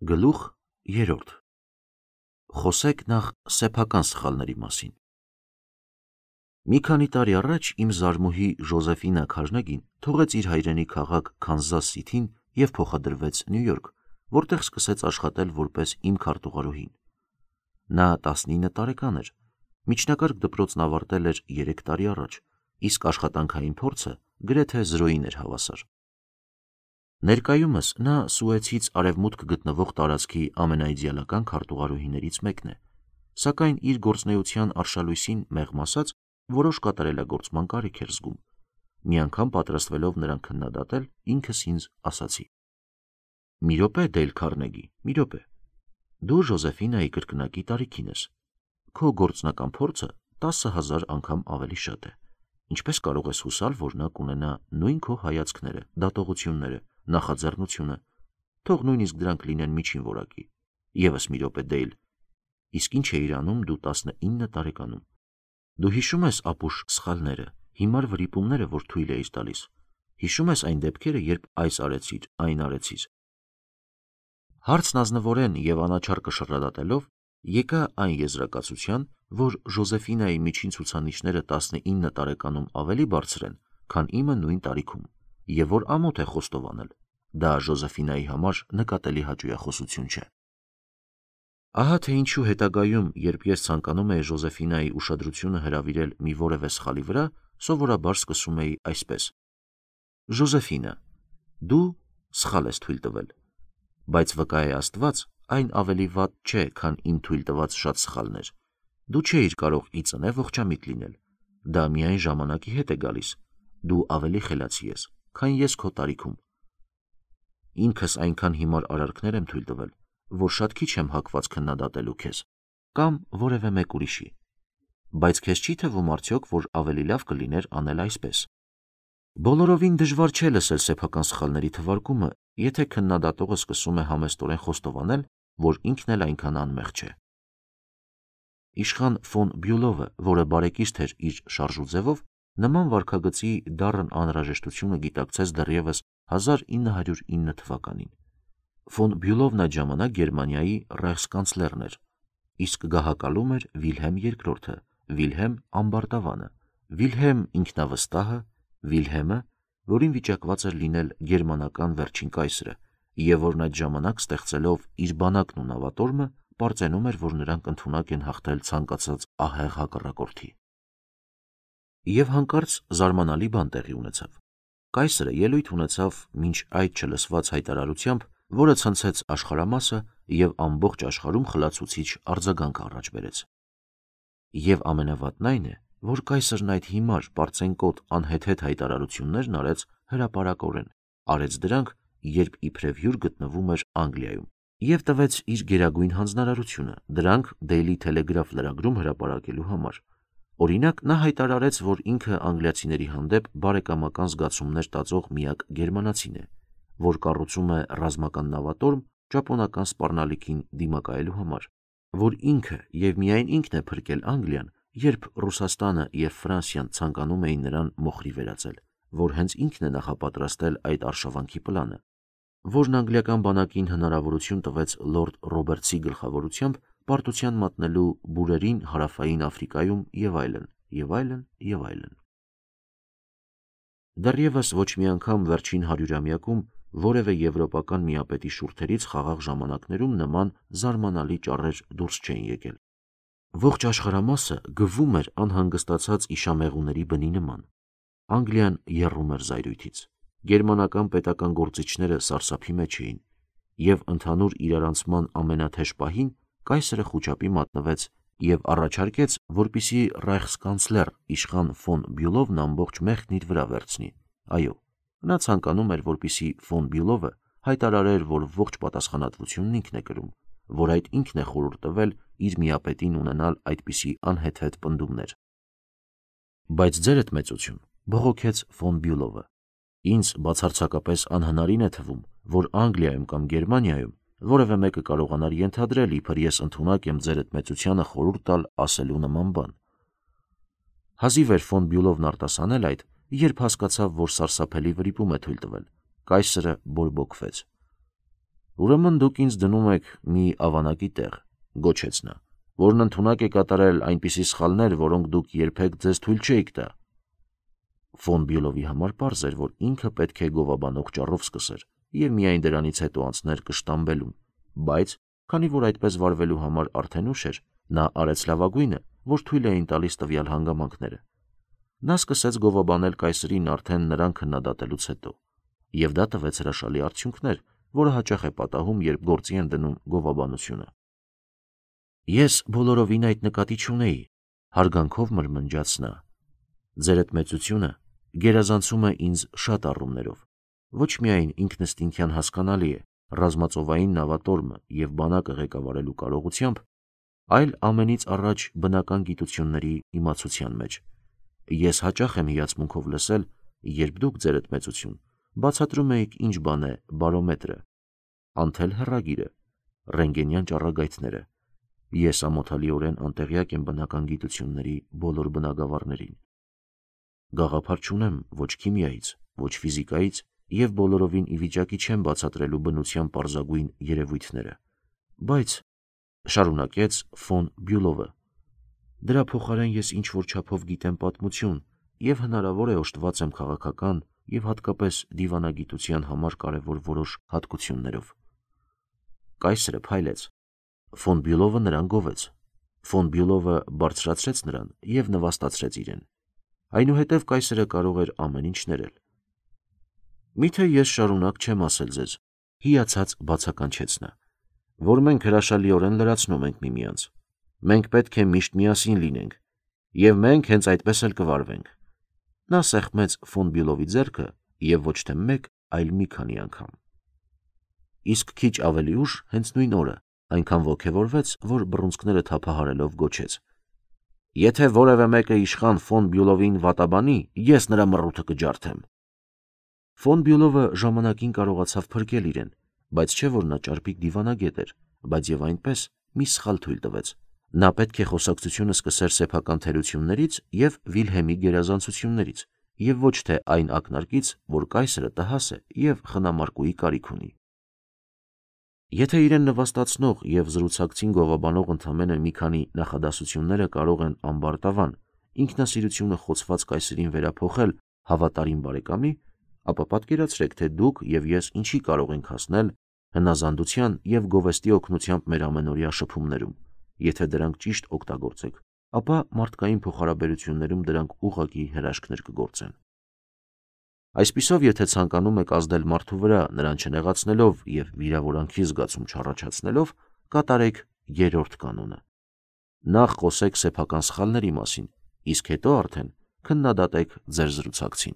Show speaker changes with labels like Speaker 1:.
Speaker 1: Գլուխ 3. Խոսեք նախ սեփական սխալների մասին։ Մի քանի տարի առաջ իմ զարմուհի Ժոզեֆինա Քարնեգին թողեց իր հայրենի քաղաք Քանզաս Սիթին և փոխադրվեց Նյու Յորք, որտեղ սկսեց աշխատել որպես իմ քարտուղարուհին։ Նա 19 տարեկան էր, միջնակարգ դպրոցն ավարտել էր 3 տարի առաջ, իսկ աշխատանքային փորձը գրեթե 0-ին էր հավասար։ Ներկայումս նա Սուեցից արևմուտք գտնվող տարածքի ամենաիդեալական քարտուղարուհիներից մեկն է, սակայն իր գործունեության արշալույսին մեղմ ասած որոշ կատարելագործման կարիք էր զգում։ Մի անգամ պատրաստվելով նրան քննադատել, ինքս ինձ ասացի. «Մի րոպե, Դեյլ Քարնեգի, մի րոպե։ Դու Ժոզեֆինայի կրկնակի տարիքին ես։ Քո գործնական փորձը 10,000 անգամ ավելի շատ է։ Ինչպես կարող ես հուսալ, որ նա կունենա նույն քո հայացքները, դատողությունները, նախաձեռնությունը, թող նույնիսկ դրանք լինեն միջին որակի։ Եվս մի րոպե, Դեյլ, իսկ ինչ էիր անում դու 19 տարեկանում։ Դու հիշում ես ապուշ սխալները, հիմար վրիպումները, որ թույլ էիր տալիս։ Հիշում ես այն դեպքերը, երբ այս արեցիր, այն արեցիր»։ Հարցն ազնվորեն և անաչառ կշռադատելով եկա այն եզրակացության, որ Ժոզեֆինայի միջին ցուցանիշները 19 տարեկանում ավելի բարձր են, քան իմը նույն տարիքում, և որ ամոթ է խոստովանել, դա Ժոզեֆինայի համար նկատելի հաճույախոսություն չէ։ Ահա թե ինչու հետագայում, երբ ես ցանկանում էի Ժոզեֆինայի ուշադրությունը հրավիրել մի որևէ սխալի վրա, սովորաբար սկսում էի այսպես. «Ժոզեֆինա, դու սխալ ես թույլ տվել, բայց վկա է Աստված, այն ավելի վատ չէ, քան իմ թույլ տված շատ սխալներ։ Դու չէիր կարող ի ծնե ողջամիտ լինել։ Դա միայն ժամանակի հետ է գալիս։ Դու ավելի խելացի ես, քան ես քո տարիքում։ Ինքս այնքան հիմար արարքներ եմ թույլ տվել, որ շատ քիչ եմ հակված քննադատելու քեզ կամ որևէ մեկ ուրիշի։ Բայց քեզ չի թվում արդյոք, որ ավելի լավ կլիներ անել այսպես։ Բոլորովին դժվար չէ լսել սեփական սխալների թվարկումը, եթե քննադատողը սկսում է համեստորեն խոստովանել, որ ինքն էլ այնքան անմեղ չէ։ Իշխան ֆոն Բյուլովը, որը բարեկիրթ էր իր շարժուձևով, նման վարքագծի դառն անհրաժեշտությունը գիտակցեց դեռևս 1909 թվականին։ Ֆոն Բյուլովն այդ ժամանակ Գերմանիայի ռայխսկանցլերն էր, իսկ գահակալում էր Վիլհեմ II-ը, Վիլհեմ Ամբարտավանը, Վիլհեմ ինքնավստահը, Վիլհեմը, որին վիճակված էր լինել գերմանական վերջին կայսրը, և որն այդ ժամանակ ստեղծելով իր բանակն ու նավատորմը, պարծենում էր, որ նրանք ընդունակ են հաղթել ցանկացած ահեղ հակառակորդի։ Եվ հանկարծ զարմանալի բան տեղի ունեցավ։ Կայսրը ելույթ ունեցավ մինչ այդ չլսված հայտարարությամբ, որը ցնցեց աշխարհամասը և ամբողջ աշխարհում խլացուցիչ արձագանք առաջ բերեց։ Եվ ամենավատն այն է, որ կայսրն այդ հիմար, պարծենկոտ, անհեթեթ հայտարարություններն արեց հրապարակորեն, արեց դրանք, երբ իբրև հյուր գտնվում էր Անգլիայում, և տվեց իր գերագույն հանձնարարությունը դրանք Daily Telegraph լրագրում հրապարակելու համար։ Օրինակ, նա հայտարարեց, որ ինքը անգլիացիների հանդեպ բարեկամական զգացումներ տածող միակ գերմանացին է, որ կառուցում է ռազմական նավատորմ ճապոնական սպառնալիքին դիմակայելու համար, որ ինքը և միայն ինքն է փրկել Անգլիան, երբ Ռուսաստանը և Ֆրանսիան ցանկանում էին նրան մոխրի վերածել, որ հենց ինքն է նախապատրաստել այդ արշավանքի պլանը, որն անգլիական բանակին հնարավորություն տվեց լորդ Ռոբերտսի գլխավորությամբ պարտության մատնելու բուրերին հարավային Աֆրիկայում և այլն, և այլն, և այլն։ Դեռևս ոչ մի անգամ վերջին 100-ամյակում որևէ եվրոպական միապետի շուրթերից խաղաղ ժամանակներում նման զարմանալի ճառեր դուրս չէին եկել։ Ողջ աշխարհամասը գվում էր անհանգստացած իշամեղուների բնի նման։ Անգլիան եռում էր զայրույթից։ Գերմանական պետական գործիչները սարսափի մեջ էին, և ընդհանուր իրարանցման ամենաթեժ պահին կայսրը խուճապի մատնվեց և առաջարկեց, որպեսզի ռայխսկանցլեր իշխան ֆոն Բյուլովն ամբողջ մեղքն իր վրա վերցնի։ Այո, նա ցանկանում էր, որպեսզի ֆոն Բյուլովը հայտարարեր, որ ողջ պատասխանատվությունն ինքն է կրում, որ այդ ինքն է խորհուրդ տվել իր միապետին ունենալ այդպիսի անհեթեթ պնդումներ։ Բայց ձերդ մեծություն, բողոքեց ֆոն Բյուլովը, ինձ բացարձակապես անհնարին է թվում, որ Անգլիայում կամ Գերմանիայում որևէ մեկը կարողանար ենթադրել, իբր ես ընդունակ եմ ձերդ մեծությանը խորհուրդ տալ ասելու նման բան։ Հազիվ էր ֆոն Բյուլովն արտասանել այդ, երբ հասկացավ, որ սարսափելի վրիպում է թույլ տվել։ Կայսրը բորբոքվեց։ Ուրեմն դուք ինձ դնում եք մի ավանակի տեղ, գոչեց նա, որն ընդունակ է կատարել այնպիսի սխալներ, որոնք դուք երբեք ձեզ թույլ չէիք տա։ Ֆոն Բյուլովի համար պարզ էր, որ ինքը պետք է գովաբանող ճառով սկսեր եւ միայն դրանից հետո անցներ կշտամբելուն, բայց քանի որ այդպես վարվելու համար արդեն ուշ էր, նա արեց լավագույնը, որ թույլ էին տալիս տվյալ հանգամանքները։ Նա սկսեց գովաբանել կայսրին արդեն նրան քննադատելուց հետո, եւ դա տվեց հրաշալի արդյունքներ, որը հաճախ է պատահում, երբ գործի են դնում գովաբանությունը։ Ես բոլորովին այդ նկատի չունեի, հարգանքով մրմնջաց նա։ Ձեր այդ մեծությունը գերազանցում է ինձ շատ առումներով, ոչ միայն ինքնըստինքյան հասկանալի է, ռազմածովային նավատորմը եւ բանակը ղեկավարելու կարողությամբ, այլ ամենից առաջ բնական գիտությունների իմացության մեջ։ Ես հաճախ եմ հիացմունքով լսել, երբ դուք ձեր այդ մեծություն բացատրում էիք ինչ բան է բարոմետրը, անթել հեռագիրը, ռենտգենյան ճառագայթները։ Ես ամոթալիորեն անտեղյակ եմ բնական գիտությունների բոլոր բնագավառներին։ Գաղափար չունեմ ոչ քիմիայից, ոչ ֆիզիկայից եւ բոլորովին ի վիճակի չեմ բացատրելու բնության պարզագույն երևույթները, բայց շարունակեց ֆոն Բյուլովը, դրա փոխարեն ես ինչ որ չափով գիտեմ պատմություն եւ հնարավոր է օժտված եմ քաղաքական եւ հատկապես դիվանագիտության համար կարևոր որոշ հատկություններով։ Կայսրը փայլեց։ Ֆոն Բյուլովը նրան գովեց։ Ֆոն Բյուլովը բարձրացրեց նրան եւ նվաստացրեց իրեն։ Այնուհետև կայսրը կարող էր ամեն ինչ ներել։ Միթե ես շարունակ չեմ ասել ձեզ, հիացած բացականչեց նա, որ մենք հրաշալիորեն լրացնում ենք միմյանց։ Մենք պետք է միշտ միասին լինենք, եւ մենք հենց այդպես էլ կվարվենք։ Նա սեղմեց ֆոն Բյուլովի ձեռքը եւ ոչ թե մեկ, այլ մի քանի անգամ։ Իսկ քիչ ավելի ուշ, հենց նույն օրը, այնքան ոգևորվեց, որ բռունցքները թափահարելով գոչեց. Եթե որևէ մեկը իշխան ֆոն Բյուլովին վատաբանի, ես նրա մռութը կջարդեմ։ Ֆոն Բյուլովը ժամանակին կարողացավ փրկել իրեն, բայց չէ որ նա ճարպիկ դիվանագետ էր, բայց եւ այնպես մի սխալ թույլ տվեց։ Նա պետք է խոսակցությունը սկսեր սեփական թերություններից եւ Վիլհեմի գերազանցություններից, եւ ոչ թե այն ակնարկից, որ կայսրը տհաս է եւ խնամարկուի կարիք ունի։ Եթե իրեն նվաստացնող եւ զրուցակցին գովաբանող ընդամենը մի քանի նախադասությունները կարող են ամբարտավան ինքնասիրությունը խոցված կայսրին վերափոխել հավատարիմ բարեկամի, ապա պատկերացրեք, թե դուք եւ ես ինչի կարող ենք հասնել հնազանդության եւ գովեստի օգնությամբ մեր ամենօրյա շփումներում, եթե դրանք ճիշտ օգտագործեք, ապա մարդկային փոխհարաբերություններում դրանք ուղղակի հրաշքներ կգործեն։ Այսպիսով, եթե ցանկանում եք ազդել մարդու վրա, նրան չնեղացնելով եւ վիրավորանքի զգացում չառաջացնելով, կատարեք երրորդ կանոնը։ Նախ խոսեք սեփական սխալների մասին, իսկ հետո արդեն քննադատեք ձեր զրուցակցին։